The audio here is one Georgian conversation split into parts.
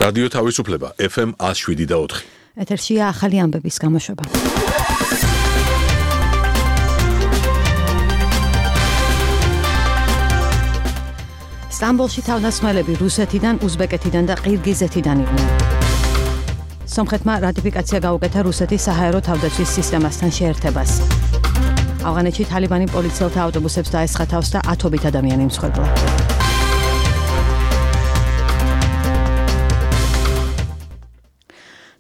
რადიო თავისუფლება FM 107.4. ეთერშია ახალი ამბების გამოშვება. სტამბოლში თავდასხმელები რუსეთიდან, უზბეკეთიდან და ყირგიზეთიდან იყვნენ. სომხეთმა რატიფიკაცია გაუკეთა რუსეთის საჰაერო თავდაცვის სისტემასთან შეერთებას. ავღანეთში თალიბანი პოლიციელთა ავტობუსებს დაესხა თავს და ათობით ადამიანი მსხვერპლა.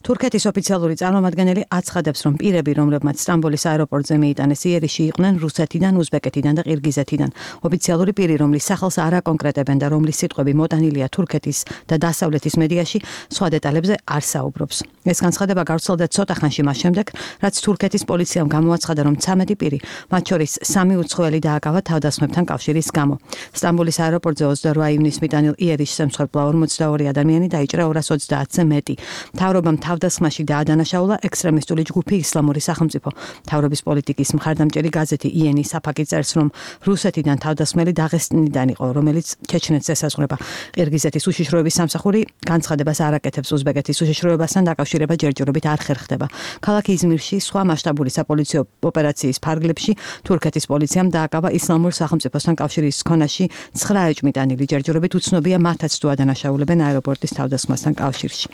თურქეთის ოფიციალური წარმომადგენელი აცხადებს, რომ პირები, რომლებმაც სტამბოლის აეროპორტზე მიიტანეს იერიში, იყვნენ რუსეთიდან, უზბეკეთიდან და ყირგიზეთიდან. ოფიციალური პირი, რომლის სახელს არ აკონკრეტებენ და რომლის სიტყვები მოტანილია თურქეთის და დასავლეთის მედიაში, სხვა დეტალებზე არ საუბრობს. ეს განცხადება გავრცელდა ცოტა ხანში მას შემდეგ, რაც თურქეთის პოლიციამ გამოაცხადა, რომ 13 პირი, მათ შორის 3 უცხოელი დააკავა თავდასხმებთან კავშირის გამო. სტამბოლის აეროპორტზე 28 ივნისს მიტანილ იერიშზე მსხვერპლა 42 ადამიანი დაიჭრა 230-ზე მეტი. მთავრობამ თავდასხმაში დაადანაშაულა ექსტრემისტული ჯგუფი ისლამური სახელმწიფო. მთავრობის პოლიტიკის მხარდამჭერი გაზეთი იენი საფაკი წერს, რომ რუსეთიდან თავდასხმელი დაღესტნიდან იყო, რომელიც ჩეჩნეთს ესაზღვრება. ყირგიზეთის უშიშროების სამსახური განცხადებას არ აკეთებს უზბეკეთის უშიშროებასთან დაკავშირება ჯერჯერობით არ ხერხდება. ქალაქ იზმირში სხვა მასშტაბური საპოლიციო ოპერაციის ფარგლებში თურქეთის პოლიციამ დააკავა ისლამურ სახელმწიფოსთან კავშირის ქონაში 9 ეჭვმიტანილი. ჯერჯერობით უცნობია მათაც თუ ადანაშაულებენ აეროპორტის თავდასხმასთან კავშირში.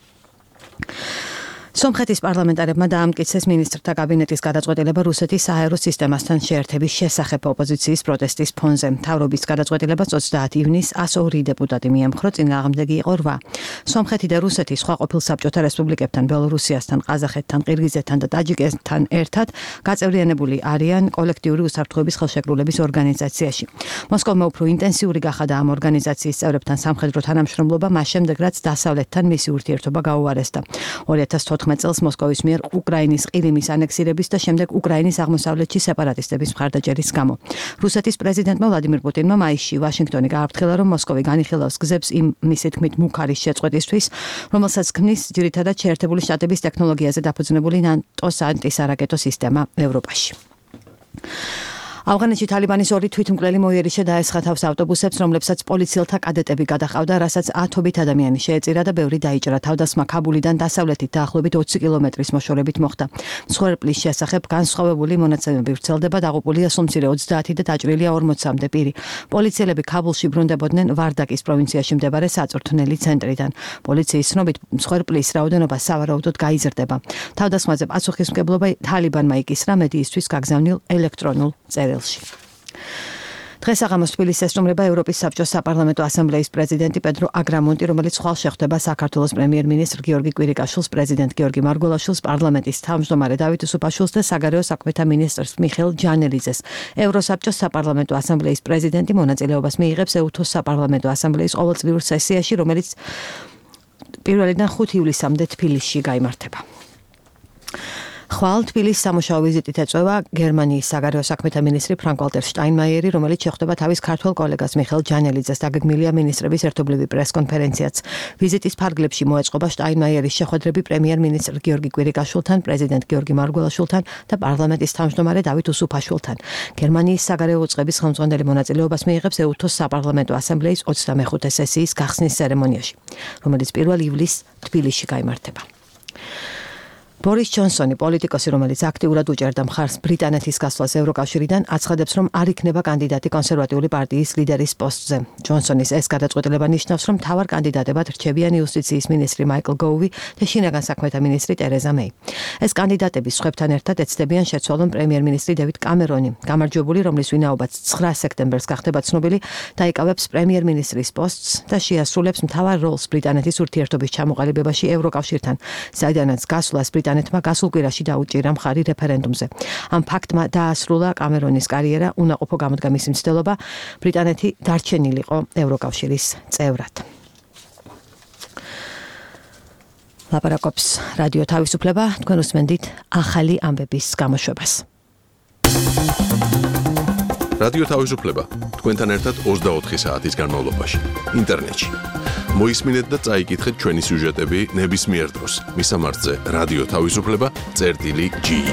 სომხეთის პარლამენტარებმა დაამტკიცეს მინისტრთა კაბინეტის გადაწყვეტილება რუსეთის საჰაერო სისტემასთან შეერთების შესახებ ოპოზიციის პროტესტის ფონზე. მთავრობის გადაწყვეტილებას 30 ივნისს 102 დეპუტატი მიემხრო, წინააღმდეგი იყო 8. სომხეთი და რუსეთი სხვა ყოფილ საბჭოთა რესპუბლიკებთან, ბელორუსიასთან, ყაზახეთთან, ყირგიზეთთან და ტაჯიკეთთან ერთად გაწევრიანებული არიან კოლექტიური უსაფრთხოების ხელშეკრულების ორგანიზაციაში. მოსკოვმა უფრო ინტენსიური გახადა ამ ორგანიზაციის წევრებთან სამხედრო თანამშრომლობა, მას შემდეგ რაც დასავლეთთან მისი ურთიერთობა გაუარესდა. 2014 წელს მოსკოვის მიერ უკრაინის ყირიმის ანექსირების და შემდეგ უკრაინის აღმოსავლეთში სეპარატისტების მხარდაჭერის გამო. რუსეთის პრეზიდენტმა ვლადიმირ პუტინმა მაისში ვაშინგტონი გააფრთხილა, რომ მოსკოვი განიხილავს გზებს იმ მისი თქმით მუქარის შეწყვეტისთვის, რომელსაც ქმნის ძირითადად შეერთებული შტატების ტექნოლოგიაზე დაფუძნებული ნატოს ანტისარაკეტო სისტემა ევროპაში. ავღანეთში თალიბანის 2 თვითმკვლელი მოიერიშე დაესხა თავს ავტობუსებს, რომლებსაც პოლიციელთა კადეტები გადაჰყავდა, რასაც ათობით ადამიანი შეეწირა და ბევრი დაიჭრა. თავდასხმა ქაბულიდან დასავლეთით დაახლოებით 20 კილომეტრის მოშორებით მოხდა. მსხვერპლის შესახებ განსხვავებული მონაცემები ვრცელდება, დაღუპულია სულ მცირე 30 და დაჭრილია 40-მდე პირი. პოლიციელები ქაბულში ბრუნდებოდნენ ვარდაკის პროვინციაში მდებარე საწვრთნელი ცენტრიდან. პოლიციის ცნობით, მსხვერპლის რაოდენობა სავარაუდოდ გაიზრდება. თავდასხმაზე პასუხისმგებლობა თალიბანმა იკისრა მედიისთვის გაგზავნილ ელექტრონულ წერილში. დღეს აღამოს თბილისს ესტუმრება ევროპის საბჭოს საპარლამენტო ასამბლეის პრეზიდენტი პედრო აგრამონტი, რომელიც ხვალ შეხვდება საქართველოს პრემიერ-მინისტრ გიორგი კვირიკაშვილს, პრეზიდენტ გიორგი მარგველაშვილს, პარლამენტის თავმჯდომარე დავით უსუფაშვილს და საგარეო საქმეთა მინისტრს მიხეილ ჯანელიძეს. ევროსაბჭოს საპარლამენტო ასამბლეის პრეზიდენტი მონაწილეობას მიიღებს ეუთოს საპარლამენტო ასამბლეის ყოველწლიურ სესიაში, რომელიც 1-დან 5 ივლისამდე თბილისში გაიმართება. ხვალ თბილისის სამუშაო ვიზიტით ეწევა გერმანიის საგარეო საქმეთა მინისტრი ფრანკ-ვალტერ შტაინმაიერი, რომელიც შეხვდება თავის ქართველ კოლეგას მიხეილ ჯანელიძეს. დაგეგმილია მინისტრების ერთობლივი პრეს-კონფერენციაც. ვიზიტის ფარგლებში მოეწყობა შტაინმაიერის შეხვედრები პრემიერ-მინისტრ გიორგი კვირიკაშვილთან, პრეზიდენტ გიორგი მარგველაშვილთან და პარლამენტის თავმჯდომარე დავით უსუფაშვილთან. გერმანიის საგარეო უწყების ხელმძღვანელი მონაწილეობას მიიღებს ეუთოს საპარლამენტო ასამბლეის 25 სესიის გახსნის ცერემონიაში, რომელიც 1 ივლისს თბილისში გაიმართება. ბორის ჯონსონი, პოლიტიკოსი, რომელიც აქტიურად უჭერდა მხარს ბრიტანეთის გასვლას ევროკავშირიდან, აცხადებს, რომ არ იქნება კანდიდატი კონსერვატიული პარტიის ლიდერის პოსტზე. ჯონსონის ეს გადაწყვეტილება ნიშნავს, რომ მთავარ კანდიდატებად რჩებიან იუსტიციის მინისტრი მაიკლ გოუვი და შინაგან საქმეთა მინისტრი ტერეზა მეი. ეს კანდიდატები სხვებთან ერთად ეცდებიან შეცვალონ პრემიერ-მინისტრი დევიდ კამერონი. გამარჯვებული, რომლის ვინაობაც 9 სექტემბერს გახდება ცნობილი, დაიკავებს პრემიერ-მინისტრის პოსტს და შეასრულებს მთავარ როლს ბრიტანეთის ურთიერთობის ჩამოყალიბებაში ევროკავშირთან, საიდანაც გასვლას ბრიტანეთმა გასულ კვირაში დაუჭირა მხარი რეფერენდუმზე. ამ ფაქტმა დაასრულა კამერონის კარიერა, უნაყოფო გამოდგა მისი მცდელობა, ბრიტანეთი დარჩენილიყო ევროკავშირის წევრად. ლაპარაკობს რადიო თავისუფლება, თქვენ უსმენთ ახალი ამბების გამოშვებას. რადიო თავისუფლება თქვენთან ერთად 24 საათის განმავლობაში ინტერნეტში. მოისმინეთ და წაიკითხეთ ჩვენი სიუჟეტები ნებისმიერ დროს. მისამართზე რადიო თავისუფლება წერტილი G.